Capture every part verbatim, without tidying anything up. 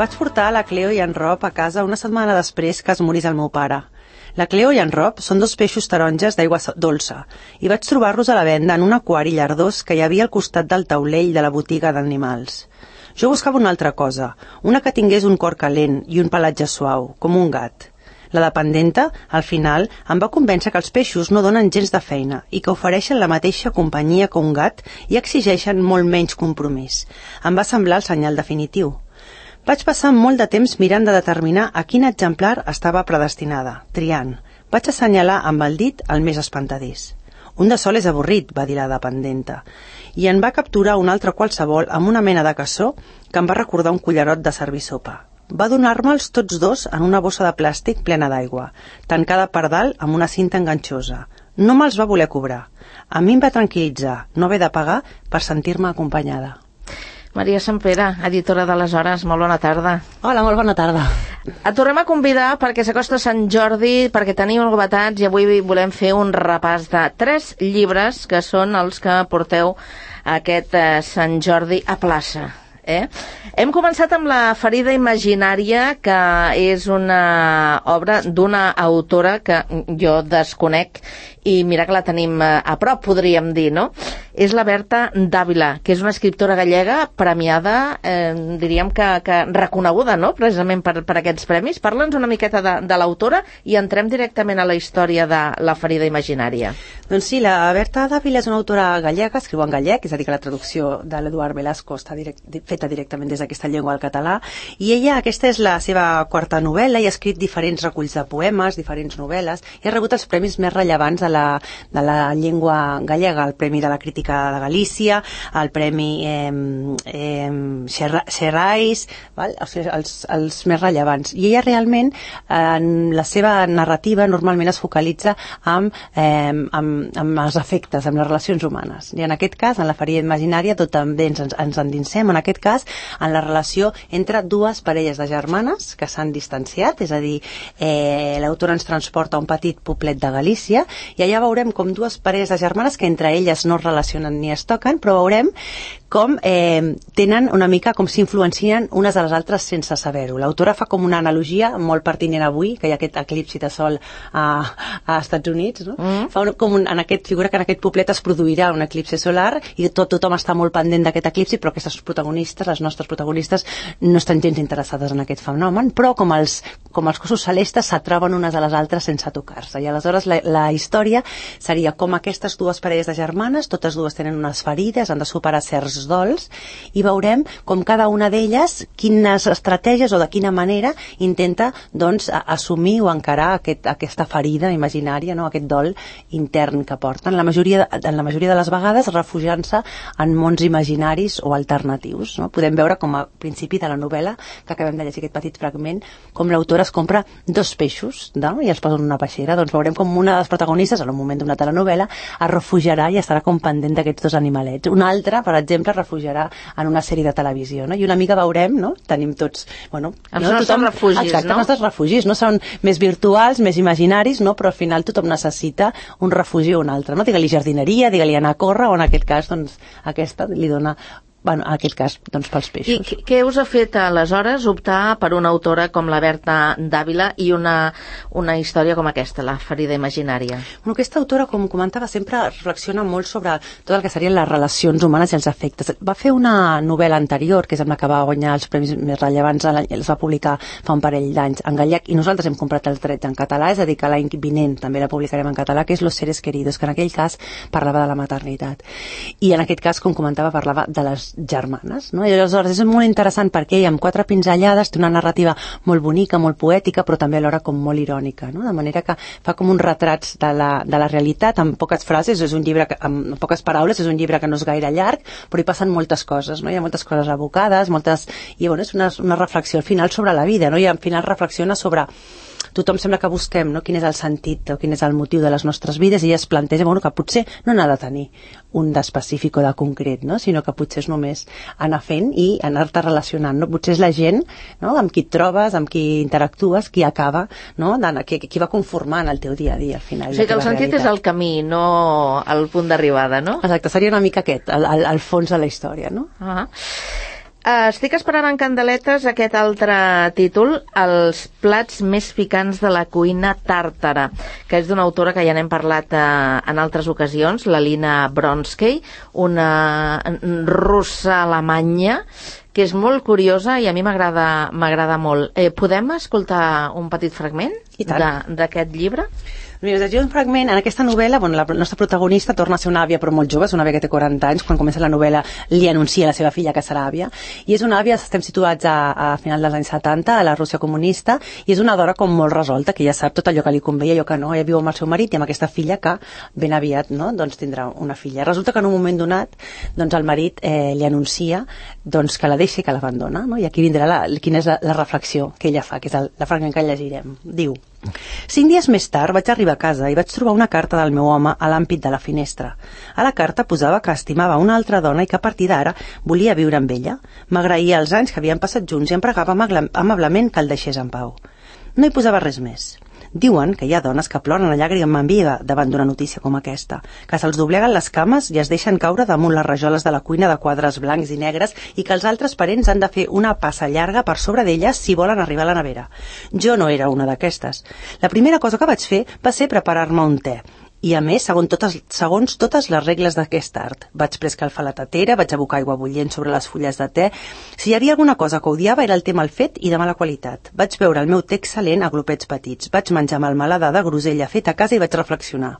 Vaig portar la Cleo i en Rob a casa una setmana després que es morís el meu pare. La Cleo i en Rob són dos peixos taronges d'aigua dolça i vaig trobar-los a la venda en un aquari llardós que hi havia al costat del taulell de la botiga d'animals. Jo buscava una altra cosa, una que tingués un cor calent i un pelatge suau, com un gat. La dependenta, al final, em va convèncer que els peixos no donen gens de feina i que ofereixen la mateixa companyia que un gat i exigeixen molt menys compromís. Em va semblar el senyal definitiu. Vaig passar molt de temps mirant de determinar a quin exemplar estava predestinada, triant. Vaig assenyalar amb el dit el més espantadís. Un de sol és avorrit, va dir la dependenta, i en va capturar un altre qualsevol amb una mena de cassó que em va recordar un cullerot de servir sopa. Va donar-me'ls tots dos en una bossa de plàstic plena d'aigua, tancada per dalt amb una cinta enganxosa. No me'ls va voler cobrar. A mi em va tranquil·litzar no haver de pagar per sentir-me acompanyada. Maria Sempere, editora de Les Hores, molt bona tarda. Hola, molt bona tarda. Et tornem a convidar perquè s'acosta Sant Jordi, perquè tenim novetats i avui volem fer un repàs de tres llibres que són els que porteu aquest eh, Sant Jordi a plaça. Eh? Hem començat amb La ferida imaginària, que és una obra d'una autora que jo desconec i mira que la tenim a prop, podríem dir, no? És la Berta Dávila, que és una escriptora gallega premiada, eh, diríem que, que reconeguda, no?, precisament per, per aquests premis. Parla'ns una miqueta de, de l'autora i entrem directament a la història de La ferida imaginària. Doncs sí, la Berta Dávila és una autora gallega, escriu en gallec, és a dir, que la traducció de l'Eduard Velasco està direct, feta directament des d'aquesta llengua al català, i ella, aquesta és la seva quarta novel·la, i ha escrit diferents reculls de poemes, diferents novel·les, i ha rebut els premis més rellevants de la, de la llengua gallega, el Premi de la Crítica de Galícia, el Premi eh, eh, Xerrais, val? O sigui, els, els més rellevants. I ella realment, en la seva narrativa, normalment es focalitza amb, eh, amb, amb els afectes, amb les relacions humanes. I en aquest cas, en La ferida imaginària, tot també ens, ens endinsem, en aquest cas, en la relació entre dues parelles de germanes que s'han distanciat, és a dir, eh, l'autora ens transporta a un petit poblet de Galícia, i allà veurem com dues parelles de germanes que entre elles no es relacionen ni es toquen, però veurem com eh, tenen una mica, com s'influencien unes a les altres sense saber-ho. L'autora fa com una analogia molt pertinent avui, que hi ha aquest eclipsi de sol a, a Estats Units, no? Mm. Fa un, com un, en aquest, figura que en aquest poblet es produirà un eclipsi solar i tot, tothom està molt pendent d'aquest eclipsi, però aquestes protagonistes, les nostres protagonistes, no estan gens interessades en aquest fenomen, però com els, com els cossos celestes s'atrauen unes a les altres sense tocar-se. I aleshores la, la història seria com aquestes dues parelles de germanes, totes dues tenen unes ferides, han de superar certs dols, i veurem com cada una d'elles quines estratègies o de quina manera intenta doncs assumir o encarar aquest, aquesta ferida imaginària, no? Aquest dol intern que porten, la majoria, en la majoria de les vegades refugiant-se en mons imaginaris o alternatius, no? Podem veure com a principi de la novel·la, que acabem de llegir aquest petit fragment, com l'autora es compra dos peixos, no? I els posa en una peixera. Doncs veurem com una de les protagonistes, en un moment d'una telenovel·la, es refugiarà i estarà com pendent d'aquests dos animalets. Una altra, per exemple, refugiarà en una sèrie de televisió, no? I una mica veurem, no? Tenim tots, bueno... Els no, nostres tothom, refugis, exacte, no? Els nostres refugis, no? Són més virtuals, més imaginaris, no? Però al final tothom necessita un refugi o un altre, no? Digue-li jardineria, digue-li anar a córrer, o en aquest cas, doncs, aquesta li dona... Bueno, en aquest cas, doncs, pels peixos. I què us ha fet, aleshores, optar per una autora com la Berta Dávila i una, una història com aquesta, La ferida imaginària? Bueno, aquesta autora, com comentava, sempre reflexiona molt sobre tot el que serien les relacions humanes i els afectes. Va fer una novel·la anterior, que és amb la que va guanyar els premis més rellevants, els va publicar fa un parell d'anys en gallec, i nosaltres hem comprat els drets en català, és a dir, que l'any vinent també la publicarem en català, que és Los seres queridos, que en aquell cas parlava de la maternitat. I en aquest cas, com comentava, parlava de les germanes, no? I aleshores és molt interessant perquè ella amb quatre pinzellades té una narrativa molt bonica, molt poètica, però també alhora com molt irònica, no? De manera que fa com uns retrats de la, de la realitat amb poques frases, és un llibre que, amb poques paraules, és un llibre que no és gaire llarg, però hi passen moltes coses, no? Hi ha moltes coses abocades, moltes... i bueno, és una, una reflexió al final sobre la vida, no? I al final reflexiona sobre tothom sembla que busquem, no? Quin és el sentit o quin és el motiu de les nostres vides, i ella es planteja, bueno, que potser no n'ha de tenir un d'específic o de concret, no? Sinó que potser és només anar fent i anar-te relacionant, no? Potser és la gent, no? Amb qui et trobes, amb qui interactues, qui acaba, no? Qui, qui va conformant el teu dia a dia al final. O sigui que el sentit realitat. És el camí, no el punt d'arribada, no? Exacte, seria una mica aquest, el, el, el fons de la història, no? Ah. Estic esperant en candeletes aquest altre títol, Els plats més picants de la cuina tàrtara, que és d'una autora que ja n'hem parlat eh, en altres ocasions, la Lina Bronsky, una russa alemanya, que és molt curiosa i a mi m'agrada m'agrada molt. Eh, podem escoltar un petit fragment d'aquest llibre? Mira, us llegiré un fragment. En aquesta novel·la, bueno, la nostra protagonista torna a ser una àvia, però molt jove, és una àvia que té quaranta anys. Quan comença la novel·la li anuncia a la seva filla que serà àvia. I és una àvia, estem situats a, a final dels anys setanta, a la Rússia comunista, i és una dona com molt resolta, que ja sap tot allò que li convé i allò que no. Ella viu amb el seu marit i amb aquesta filla que ben aviat, no?, doncs tindrà una filla. Resulta que en un moment donat, doncs el marit eh, li anuncia doncs, que la deixa i que l'abandona, no? I aquí vindrà la, quina és la, la reflexió que ella fa, que és el, la fragment que llegirem. Diu: cinc dies més tard vaig arribar a casa i vaig trobar una carta del meu home a l'ampit de la finestra. A la carta posava que estimava una altra dona i que a partir d'ara volia viure amb ella. M'agraïa els anys que havien passat junts i em pregava amablement que el deixés en pau. No hi posava res més. Diuen que hi ha dones que ploren a llàgrima viva davant d'una notícia com aquesta, que se'ls dobleguen les cames i es deixen caure damunt les rajoles de la cuina de quadres blancs i negres i que els altres parents han de fer una passa llarga per sobre d'elles si volen arribar a la nevera. Jo no era una d'aquestes. La primera cosa que vaig fer va ser preparar-me un te. I a més, segons totes, segons totes les regles d'aquest art. Vaig preescalfar la tatera, vaig abocar aigua bullent sobre les fulles de te. Si hi havia alguna cosa que odiava era el te mal fet i de mala qualitat. Vaig beure el meu te excel·lent a glopets petits. Vaig menjar melmelada de grosella feta a casa i vaig reflexionar.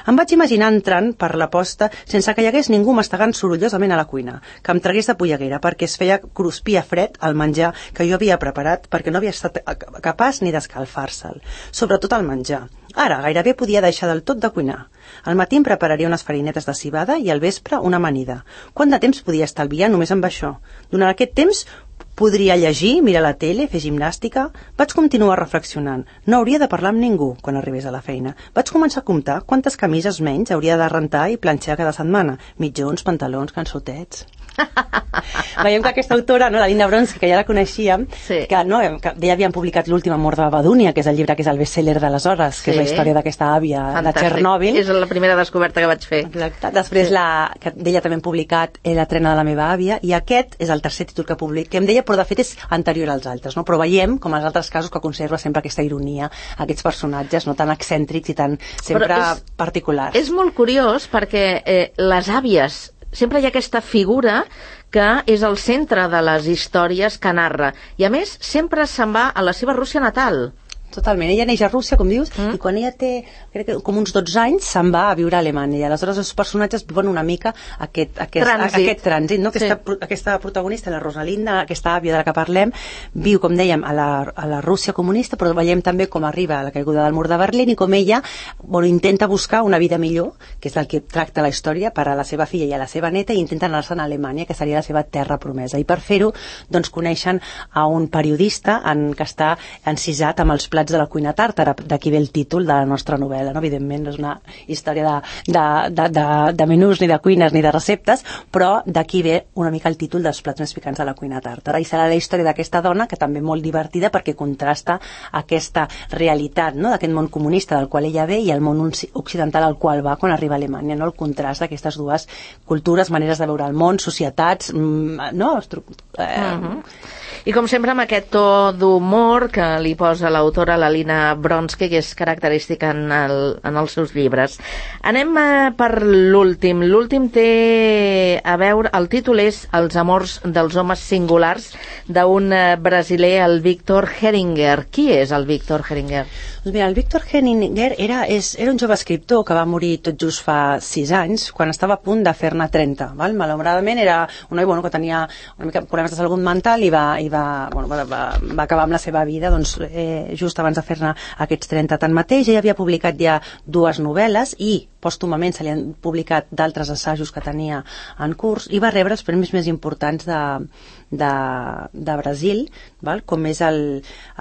Em vaig imaginar entrant per la posta sense que hi hagués ningú mastegant sorollosament a la cuina, que em tragués de polleguera perquè es feia cruspir a fred el menjar que jo havia preparat perquè no havia estat capaç ni d'escalfar-se'l. Sobretot el menjar. Ara gairebé podia deixar del tot de cuinar. Al matí em prepararia unes farinetes de civada i al vespre una amanida. Quant de temps podia estalviar només amb això? Durant aquest temps podria llegir, mirar la tele, fer gimnàstica. Vaig continuar reflexionant. No hauria de parlar amb ningú quan arribés a la feina. Vaig començar a comptar quantes camises menys hauria de rentar i planxar cada setmana. Mitjons, pantalons, cançotets... Veiem que aquesta autora, no, la Lina Bronsky, que ja la coneixíem, sí, que, no, que ja havien publicat L'últim amor de Babadunia, que és el llibre que és el best-seller d'aleshores, que sí, és la història d'aquesta àvia de Txernòbil. És la primera descoberta que vaig fer. Exacte. Després la, que d'ella també hem publicat La trena de la meva àvia, i aquest és el tercer títol que publiquem d'ella, però de fet és anterior als altres, no? Però veiem, com als altres casos, que conserva sempre aquesta ironia, aquests personatges no tan excèntrics i tan sempre és, particulars. És molt curiós perquè eh, les àvies, sempre hi ha aquesta figura que és el centre de les històries que narra. I a més, sempre se'n va a la seva Rússia natal. Totalment. Ella neix a Rússia, com dius, mm. i quan ella té, crec que com uns dotze anys, se'n va a viure a Alemanya. I aleshores els personatges viuen una mica aquest, aquest trànsit, aquest trànsit no? Aquesta, sí, aquesta protagonista, la Rosalinda, aquesta àvia de la que parlem, viu, com dèiem, a la, a la Rússia comunista, però veiem també com arriba a la caiguda del mur de Berlín i com ella bueno, intenta buscar una vida millor, que és el que tracta la història, per a la seva filla i a la seva neta, i intenta anar-se'n a Alemanya, que seria la seva terra promesa. I per fer-ho, doncs, coneixen a un periodista en, que està encisat amb els plats de la cuina tàrtara, d'aquí ve el títol de la nostra novel·la, no? Evidentment no és una història de, de, de, de, de menús, ni de cuines, ni de receptes, però d'aquí ve una mica el títol dels plats més picants de la cuina tàrtara, i serà la història d'aquesta dona, que també molt divertida perquè contrasta aquesta realitat, no? D'aquest món comunista del qual ella ve i el món occidental al qual va quan arriba a Alemanya, no? El contrast d'aquestes dues cultures, maneres de veure el món, societats, no? Estru eh... uh-huh. I com sempre amb aquest to d'humor que li posa l'autora, la Lina Bronsky, que és característica en, el, en els seus llibres. Anem eh, per l'últim. L'últim té a veure, el títol és Els amors dels homes singulars, d'un eh, brasiler, el Víctor Heringer. Qui és el Víctor Heringer? Doncs mira, el Víctor Heringer era, és, era un jove escriptor que va morir tot just fa sis anys, quan estava a punt de fer-ne trenta. Val? Malauradament era un noi bueno, que tenia una mica problemes de salut mental i va, i va, bueno, va, va, va acabar amb la seva vida doncs, eh, just abans de fer-ne aquests trenta. Tanmateix, ell havia publicat ja dues novel·les i pòstumament se li han publicat d'altres assajos que tenia en curs i va rebre els premis més importants de, de, de Brasil, val? Com és el,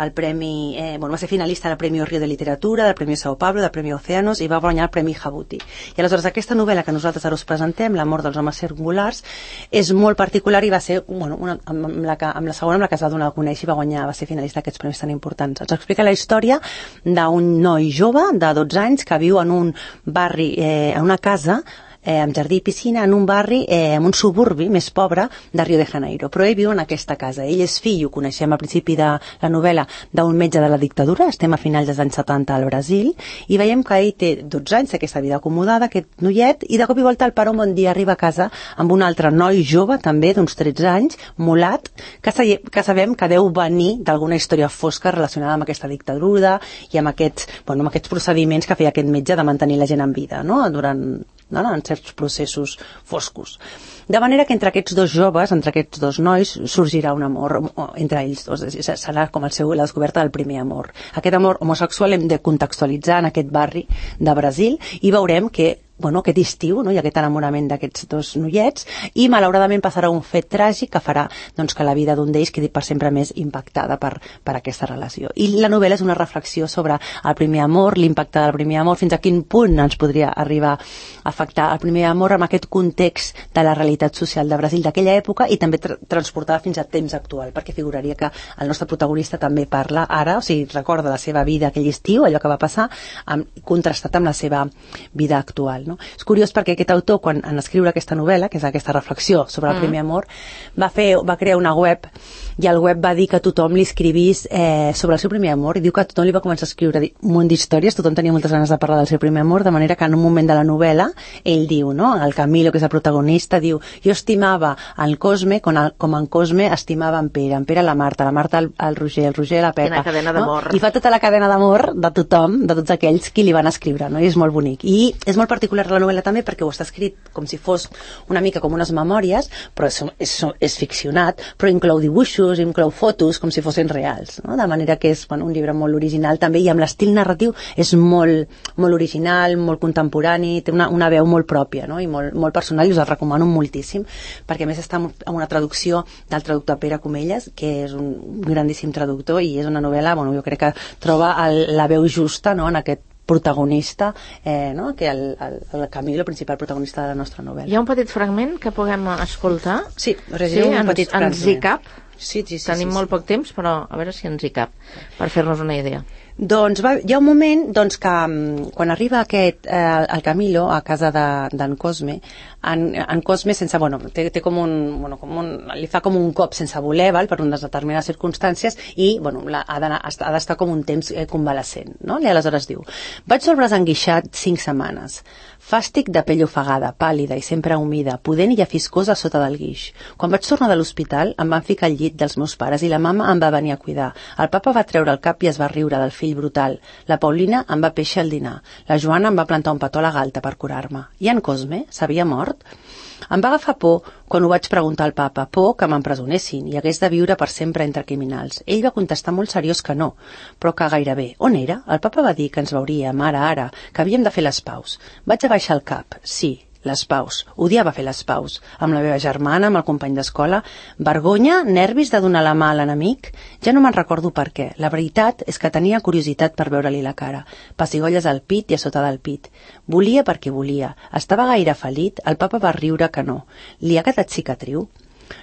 el premi, eh, bueno, va ser finalista del Premi Rio de Literatura, del Premi Sao Paulo, del Premi Océanos i va guanyar el Premi Jabuti. I aleshores aquesta novel·la que nosaltres ara us presentem, L'amor dels homes singulars, és molt particular i va ser bueno, una, amb, la que, amb la segona amb la que es va donar a conèixer i va guanyar, va ser finalista d'aquests premis tan importants. Ens explica la història d'un noi jove de dotze anys que viu en un barri, eh, en una casa eh, amb jardí i piscina, en un barri, eh, en un suburbi més pobre de Rio de Janeiro. Però ell viu en aquesta casa. Ell és fill, ho coneixem al principi de la novel·la, d'un metge de la dictadura, estem a finals dels anys setanta al Brasil, i veiem que ell té dotze anys, aquesta vida acomodada, aquest noiet, i de cop i volta el pare un bon dia arriba a casa amb un altre noi jove, també d'uns tretze anys, mulat, que, sa que sabem que deu venir d'alguna història fosca relacionada amb aquesta dictadura i amb aquests, bueno, amb aquests procediments que feia aquest metge de mantenir la gent en vida, no? Durant no, no, en certs processos foscos. De manera que entre aquests dos joves, entre aquests dos nois, sorgirà un amor entre ells dos. Serà com el seu, la descoberta del primer amor. Aquest amor homosexual hem de contextualitzar en aquest barri de Brasil i veurem que bueno, aquest estiu, no? Hi ha aquest enamorament d'aquests dos noiets i malauradament passarà un fet tràgic que farà doncs, que la vida d'un d'ells quedi per sempre més impactada per, per aquesta relació. I la novel·la és una reflexió sobre el primer amor, l'impacte del primer amor, fins a quin punt ens podria arribar a afectar el primer amor amb aquest context de la realitat social de Brasil d'aquella època i també tra transportada fins a temps actual, perquè figuraria que el nostre protagonista també parla ara, o sigui, recorda la seva vida aquell estiu, allò que va passar, amb, contrastat amb la seva vida actual. No? És curiós perquè aquest autor, quan en escriure aquesta novel·la, que és aquesta reflexió sobre el mm. primer amor, va, fer, va crear una web i el web va dir que tothom li escrivís eh, sobre el seu primer amor i diu que tothom li va començar a escriure un munt d'històries, tothom tenia moltes ganes de parlar del seu primer amor, de manera que en un moment de la novel·la ell diu, no? El Camilo, que és el protagonista, diu jo estimava en Cosme com, el, com en Cosme estimava en Pere, en Pere la Marta, la Marta el, el Roger, el Roger la Pepa. Quina cadena d'amor. No? I fa tota la cadena d'amor de tothom, de tots aquells qui li van escriure, no? I és molt bonic. I és molt particular la novel·la també perquè ho està escrit com si fos una mica com unes memòries, però és, és, és ficcionat, però inclou dibuixos, inclou fotos com si fossin reals, no? De manera que és bueno, un llibre molt original també i amb l'estil narratiu és molt, molt original, molt contemporani, té una, una veu molt pròpia, no? I molt, molt personal i us el recomano moltíssim perquè a més està en una traducció del traductor Pere Comelles, que és un grandíssim traductor i és una novel·la, bueno, jo crec que troba el, la veu justa, no? En aquest protagonista, eh, no? Que el, el, el Camilo, el principal protagonista de la nostra novel·la. Hi ha un petit fragment que puguem escoltar? Sí, us sí, un ens, petit fragment. Ens hi cap? Sí, sí, sí. Tenim sí, molt sí. poc temps, però a veure si ens hi cap, per fer-nos una idea. Doncs va, hi ha un moment doncs, que quan arriba aquest, eh, el Camilo a casa d'en de, Cosme, en, en Cosme sense, bueno, té, té com un, bueno, com un, li fa com un cop sense voler, val, per unes determinades circumstàncies i bueno, la, ha d'estar com un temps eh, convalescent, no? I aleshores diu, vaig sobre braç enguixat cinc setmanes, fàstic de pell ofegada, pàl·lida i sempre humida, pudent i afiscosa sota del guix. Quan vaig tornar de l'hospital em van ficar al llit dels meus pares i la mama em va venir a cuidar. El papa va treure el cap i es va riure del fill brutal. La Paulina em va peixar el dinar. La Joana em va plantar un petó a la galta per curar-me. I en Cosme s'havia mort? Em va agafar por quan ho vaig preguntar al papa, por que m'empresonessin i hagués de viure per sempre entre criminals. Ell va contestar molt seriós que no, però que gairebé. On era? El papa va dir que ens veuríem ara, ara, que havíem de fer les paus. Vaig abaixar el cap, sí, les paus. Odiava fer les paus. Amb la meva germana, amb el company d'escola. Vergonya, nervis de donar la mà a l'enemic? Ja no me'n recordo per què. La veritat és que tenia curiositat per veure-li la cara. Pessigolles al pit i a sota del pit. Volia perquè volia. Estava gaire felit, el papa va riure que no. Li ha quedat cicatriu?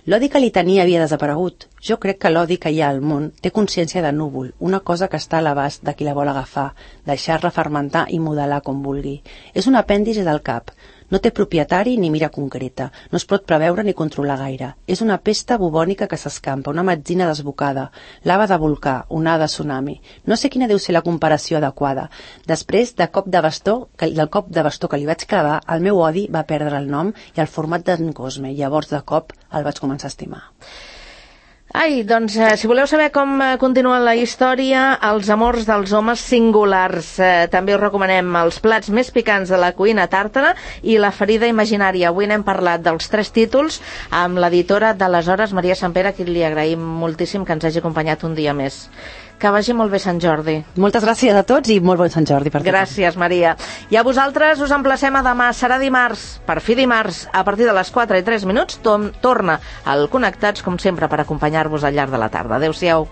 L'odi que li tenia havia desaparegut. Jo crec que l'odi que hi ha al món té consciència de núvol, una cosa que està a l'abast de qui la vol agafar, deixar-la fermentar i modelar com vulgui. És un apèndix del cap. No té propietari ni mira concreta. No es pot preveure ni controlar gaire. És una pesta bubònica que s'escampa, una metzina desbocada, lava de volcà, onada tsunami. No sé quina deu ser la comparació adequada. Després de cop de bastó, que, del cop de bastó que li vaig clavar, el meu odi va perdre el nom i el format d'en Cosme. Llavors, de cop, el vaig començar a estimar. Ai, doncs, eh, si voleu saber com eh, continua la història, els amors dels homes singulars. Eh, també us recomanem els plats més picants de la cuina tàrtara i la ferida imaginària. Avui n'hem parlat dels tres títols amb l'editora d'aleshores, Maria Sampere, a qui li agraïm moltíssim que ens hagi acompanyat un dia més. Que vagi molt bé Sant Jordi. Moltes gràcies a tots i molt bon Sant Jordi per tothom. Gràcies, Maria. I a vosaltres us emplacem a demà. Serà dimarts, per fi dimarts, a partir de les quatre i tres minuts, torna al Connectats, com sempre, per acompanyar-vos al llarg de la tarda. Adéu-siau.